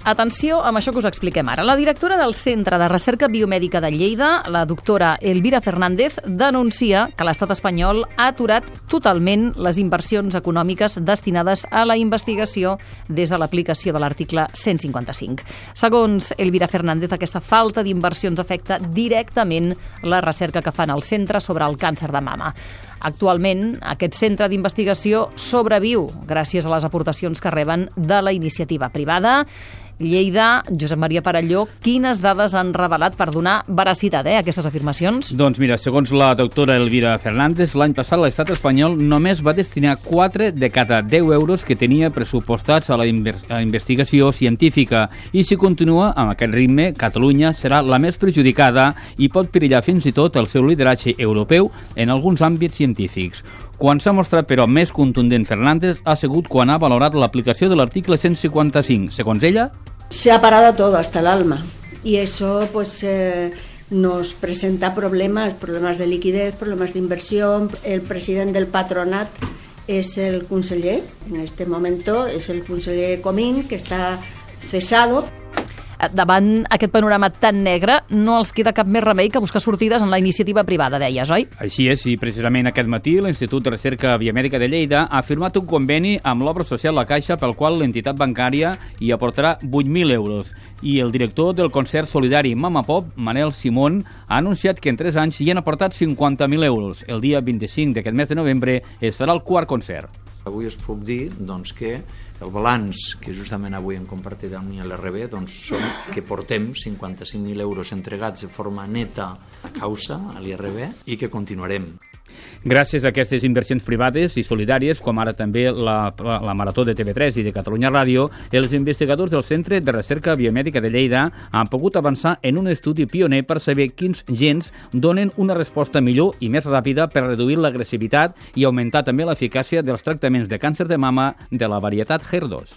Atenció amb això que us expliquem ara. La directora del Centre de Recerca Biomèdica de Lleida, la doctora Elvira Fernández, denuncia que l'estat espanyol ha aturat totalment les inversions econòmiques destinades a la investigació des de l'aplicació de l'article 155. Segons Elvira Fernández, aquesta falta d'inversions afecta directament la recerca que fan al centre sobre el càncer de mama. Actualment, aquest centre d'investigació sobreviu gràcies a les aportacions que reben de la iniciativa privada. Lleida, Josep Maria Parelló, quines dades han revelat per donar veracitat a aquestes afirmacions? Doncs mira, segons la doctora Elvira Fernández, l'any passat l'estat espanyol només va destinar 4 de cada 10 euros que tenia pressupostats a la investigació científica i si continua amb aquest ritme, Catalunya serà la més perjudicada i pot perillar fins i tot el seu lideratge europeu en alguns àmbits científics. Quan s'ha mostrat, però, més contundent Fernández ha sigut quan ha valorat l'aplicació de l'article 155. Segons ella, se ha parado todo hasta el alma y eso nos presenta problemas de liquidez, problemas de inversión. El presidente del patronat es el conseller, en este momento es el conseller Comín, que está cesado. Davant aquest panorama tan negre, no els queda cap més remei que buscar sortides en la iniciativa privada, deies, oi? Així és, i precisament aquest matí l'Institut de Recerca Biomèdica de Lleida ha firmat un conveni amb l'obra social La Caixa pel qual l'entitat bancària hi aportarà 8.000 euros. I el director del concert solidari Mama Pop, Manel Simón, ha anunciat que en 3 anys hi han aportat 50.000 euros. El dia 25 d'aquest mes de novembre es farà el quart concert. Avui us puc dir que el balanç que justament avui hem compartit amb l'RB són que portem 55.000 euros entregats de forma neta a causa, a l'IRB, i que continuarem. Gràcies a aquestes inversions privades i solidàries, com ara també la Marató de TV3 i de Catalunya Ràdio, els investigadors del Centre de Recerca Biomèdica de Lleida han pogut avançar en un estudi pioner per saber quins gens donen una resposta millor i més ràpida per reduir l'agressivitat i augmentar també l'eficàcia dels tractaments de càncer de mama de la varietat HER2.